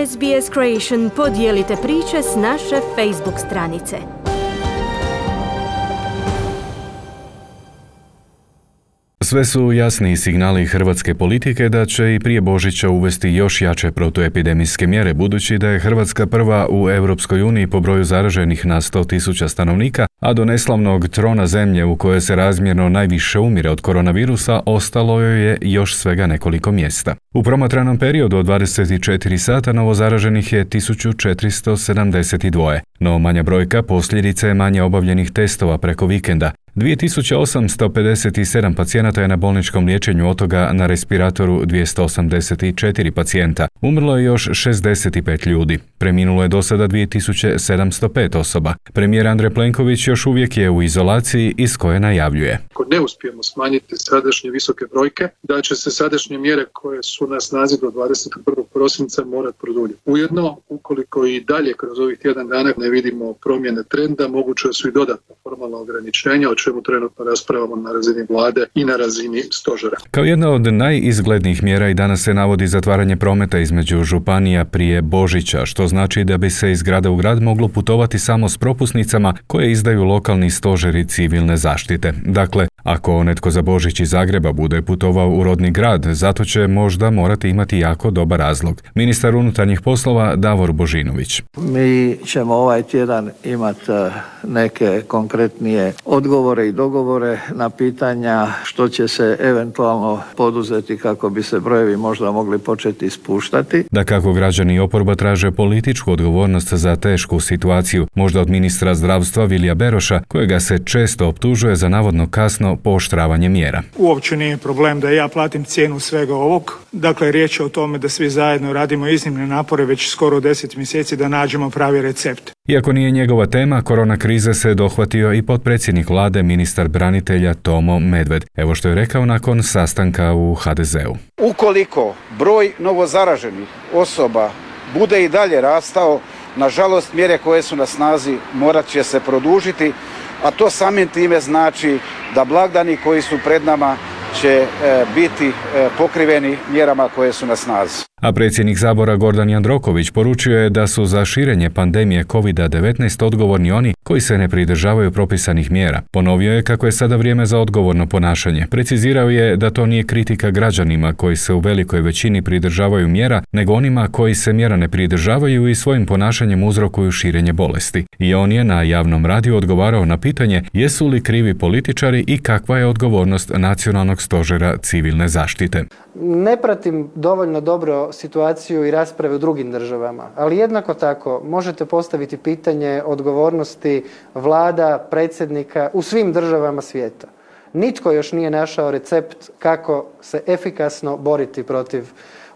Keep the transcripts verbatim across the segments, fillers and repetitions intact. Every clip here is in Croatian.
S B S Creation podijelite priče s naše Facebook stranice. Sve su jasni signali hrvatske politike da će i prije Božića uvesti još jače protuepidemijske mjere, budući da je Hrvatska prva u Europskoj uniji po broju zaraženih na sto tisuća stanovnika, a do neslavnog trona zemlje u kojoj se razmjerno najviše umire od koronavirusa ostalo joj je još svega nekoliko mjesta. U promatranom periodu od dvadeset četiri sata novozaraženih je tisuću četiristo sedamdeset dva, no manja brojka posljedica je manje obavljenih testova preko vikenda. dvije tisuće osamsto pedeset sedam pacijenata je na bolničkom liječenju, od toga na respiratoru dvjesto osamdeset četiri pacijenta. Umrlo je još šezdeset pet ljudi. Preminulo je do sada dvije tisuće sedamsto pet osoba. Premijer Andrej Plenković još uvijek je u izolaciji iz koje najavljuje: ako ne uspijemo smanjiti sadašnje visoke brojke, da će se sadašnje mjere koje su na snazi do dvadeset prvog prosinca morati produljiti. Ujedno, ukoliko i dalje kroz ovih tjedan dana ne vidimo promjene trenda, moguće su i dodatna formalna ograničenja, o čemu trenutno raspravamo na razini vlade i na razini stožera. Kao jedna od najizglednijih mjera i danas se navodi zatvaranje prometa između županija prije Božića, što znači da bi se iz grada u grad moglo putovati samo s propusnicama koje izdaju lokalni stožeri civilne zaštite. Dakle, ako netko za Božić iz Zagreba bude putovao u rodni grad, zato će možda morati imati jako dobar razlog. Ministar unutarnjih poslova Davor Božinović: mi ćemo ovaj tjedan imati neke konkretnije odgovore i dogovore na pitanja što će se eventualno poduzeti kako bi se brojevi možda mogli početi spuštati. Da kako građani i oporba traže političku odgovornost za tešku situaciju, možda od ministra zdravstva Vilija Beroša, kojega se često optužuje za navodno kasno pooštravanje mjera. Uopće nije problem da ja platim cijenu svega ovog. Dakle, riječ je o tome da svi zajedno radimo iznimne napore već skoro deset mjeseci da nađemo pravi recept. Iako nije njegova tema, korona krize se dohvatio i potpredsjednik vlade, ministar branitelja Tomo Medved. Evo što je rekao nakon sastanka u ha de zeu. Ukoliko broj novozaraženih osoba bude i dalje rastao, nažalost mjere koje su na snazi morat će se produžiti, a to samim time znači da blagdani koji su pred nama će e, biti e, pokriveni mjerama koje su na snazi. A predsjednik Sabora Gordan Jandroković poručio je da su za širenje pandemije kovid devetnaest odgovorni oni koji se ne pridržavaju propisanih mjera. Ponovio je kako je sada vrijeme za odgovorno ponašanje. Precizirao je da to nije kritika građanima koji se u velikoj većini pridržavaju mjera, nego onima koji se mjera ne pridržavaju i svojim ponašanjem uzrokuju širenje bolesti. I on je na javnom radiju odgovarao na pitanje jesu li krivi političari i kakva je odgovornost Nacionalnog stožera civilne zaštite. Ne pratim dovoljno dobro situaciju i rasprave u drugim državama, ali jednako tako možete postaviti pitanje odgovornosti vlada, predsjednika u svim državama svijeta. Nitko još nije našao recept kako se efikasno boriti protiv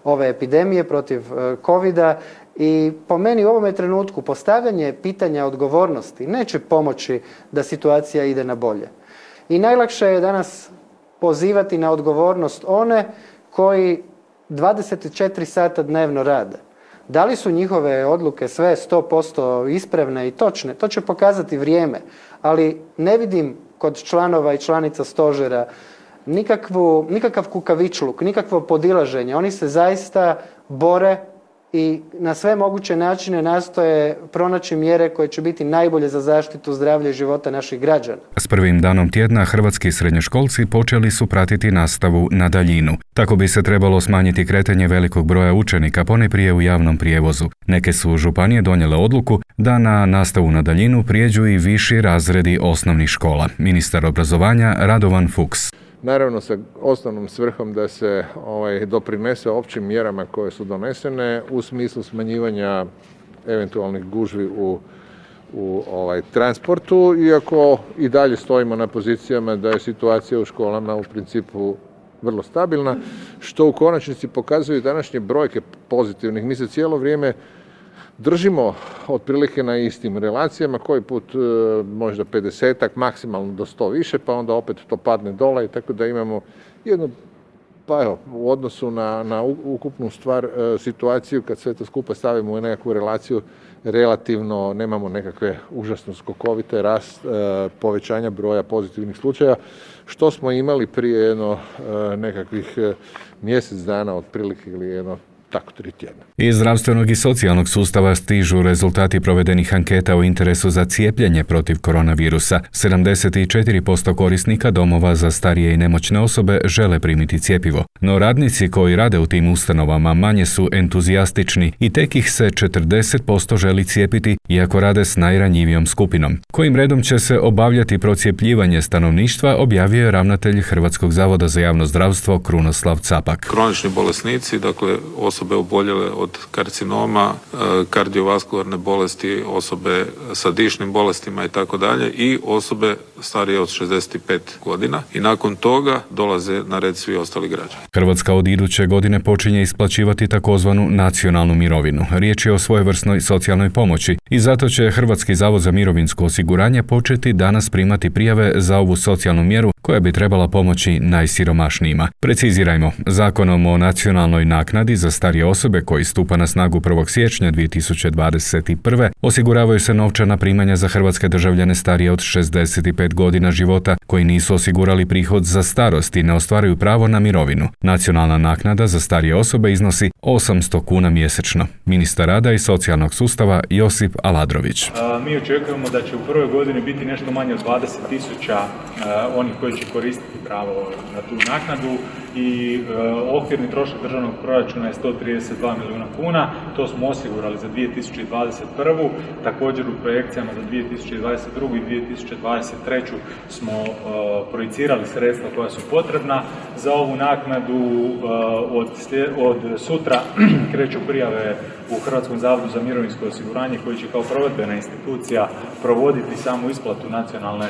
ove epidemije, protiv covida, i po meni u ovome trenutku postavljanje pitanja odgovornosti neće pomoći da situacija ide na bolje. I najlakše je danas pozivati na odgovornost one koji dvadeset četiri sata dnevno rade. Da li su njihove odluke sve sto posto ispravne i točne? To će pokazati vrijeme, ali ne vidim kod članova i članica stožera nikakvu, nikakav kukavičluk, nikakvo podilaženje. Oni se zaista bore i na sve moguće načine nastoje pronaći mjere koje će biti najbolje za zaštitu zdravlja i života naših građana. S prvim danom tjedna hrvatski srednjoškolci počeli su pratiti nastavu na daljinu. Tako bi se trebalo smanjiti kretanje velikog broja učenika, ponajprije u javnom prijevozu. Neke su županije donijele odluku da na nastavu na daljinu prijeđu i viši razredi osnovnih škola. Ministar obrazovanja Radovan Fuchs: naravno sa osnovnom svrhom da se ovaj, doprinese općim mjerama koje su donesene u smislu smanjivanja eventualnih gužvi u, u ovaj, transportu, iako i dalje stojimo na pozicijama da je situacija u školama u principu vrlo stabilna, što u konačnici pokazuju današnje brojke pozitivnih. Mi se cijelo vrijeme držimo otprilike na istim relacijama, koji put e, možda pedesetak, maksimalno do sto više, pa onda opet to padne dole, i tako da imamo jednu, pa evo, u odnosu na, na ukupnu stvar, e, situaciju, kad sve to skupa stavimo u nekakvu relaciju, relativno nemamo nekakve užasno skokovite rast e, povećanja broja pozitivnih slučaja, što smo imali prije jedno e, nekakvih e, mjesec dana otprilike ili jedno tako tri tjedna. Iz zdravstvenog i socijalnog sustava stižu rezultati provedenih anketa o interesu za cijepljenje protiv koronavirusa. sedamdeset četiri posto korisnika domova za starije i nemoćne osobe žele primiti cjepivo, no radnici koji rade u tim ustanovama manje su entuzijastični i tek ih se četrdeset posto želi cijepiti, iako rade s najranjivijom skupinom. Kojim redom će se obavljati procjepljivanje stanovništva, objavio je ravnatelj Hrvatskog zavoda za javno zdravstvo Krunoslav Capak. Kronični bolesnici, dakle osobe oboljele od karcinoma, kardiovaskularne bolesti, osobe sa dišnim bolestima i tako dalje i osobe starije od šezdeset pet godina i nakon toga dolaze na red svi ostali građani. Hrvatska od iduće godine počinje isplaćivati takozvanu nacionalnu mirovinu. Riječ je o svojevrsnoj socijalnoj pomoći i zato će Hrvatski zavod za mirovinsko osiguranje početi danas primati prijave za ovu socijalnu mjeru koja bi trebala pomoći najsiromašnijima. Precizirajmo, Zakonom o nacionalnoj naknadi za starije osobe koji stupa na snagu prvog siječnja dvije tisuće dvadeset prve osiguravaju se novčana primanja za hrvatske državljane starije od šezdeset pet godina života koji nisu osigurali prihod za starost i ne ostvaruju pravo na mirovinu. Nacionalna naknada za starije osobe iznosi osamsto kuna mjesečno. Ministar rada i socijalnog sustava Josip Aladrović. A, mi očekujemo da će u prvoj godini biti nešto manje od dvadeset tisuća onih koji će koristiti pravo na tu naknadu i e, okvirni trošak državnog proračuna je sto trideset dva milijuna kuna. To smo osigurali za dvije tisuće dvadeset prvu. Također u projekcijama za dvije tisuće dvadeset drugu i dvije tisuće dvadeset treću smo e, projicirali sredstva koja su potrebna za ovu naknadu. E, od, od sutra kreću prijave u Hrvatskom zavodu za mirovinsko osiguranje koji će kao provedbena institucija provoditi samu isplatu nacionalne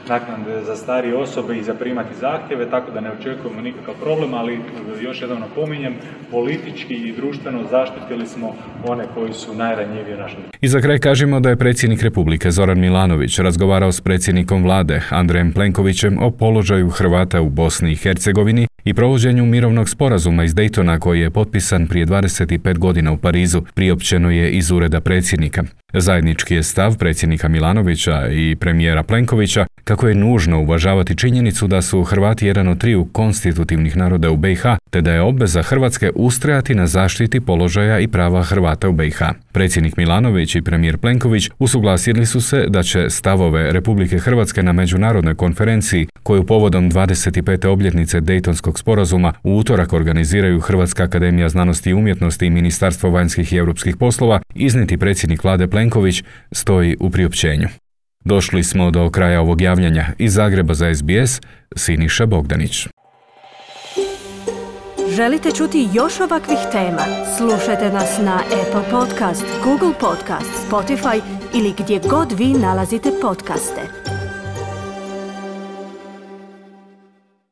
naknade za starije osobe i zaprimati zahtjeve, tako da ne očekujemo nikakav problem, ali još jednom napominjem, politički i društveno zaštitili smo one koji su najranjiviji u našem. I za kraj kažemo da je predsjednik Republike Zoran Milanović razgovarao s predsjednikom vlade Andrejem Plenkovićem o položaju Hrvata u Bosni i Hercegovini i provođenju mirovnog sporazuma iz Daytona koji je potpisan prije dvadeset pet godina u Parizu, priopćeno je iz ureda predsjednika. Zajednički je stav predsjednika Milanovića i premijera Plenkovića kako je nužno uvažavati činjenicu da su Hrvati jedan od triju konstitutivnih naroda u B i H, te da je obveza Hrvatske ustrajati na zaštiti položaja i prava Hrvata u B i H. Predsjednik Milanović i premijer Plenković usuglasili su se da će stavove Republike Hrvatske na međunarodnoj konferenciji, koju povodom dvadeset pete obljetnice Dejtonskog sporazuma u utorak organiziraju Hrvatska akademija znanosti i umjetnosti i Ministarstvo vanjskih i europskih poslova, iznijeti predsjednik vlade Plenković, stoji u priopćenju. Došli smo do kraja ovog javljanja. Iz Zagreba za S B S, Siniša Bogdanić. Želite čuti još ovakvih tema? Slušajte nas na Apple Podcast, Google Podcast, Spotify ili gdje god vi nalazite podcaste.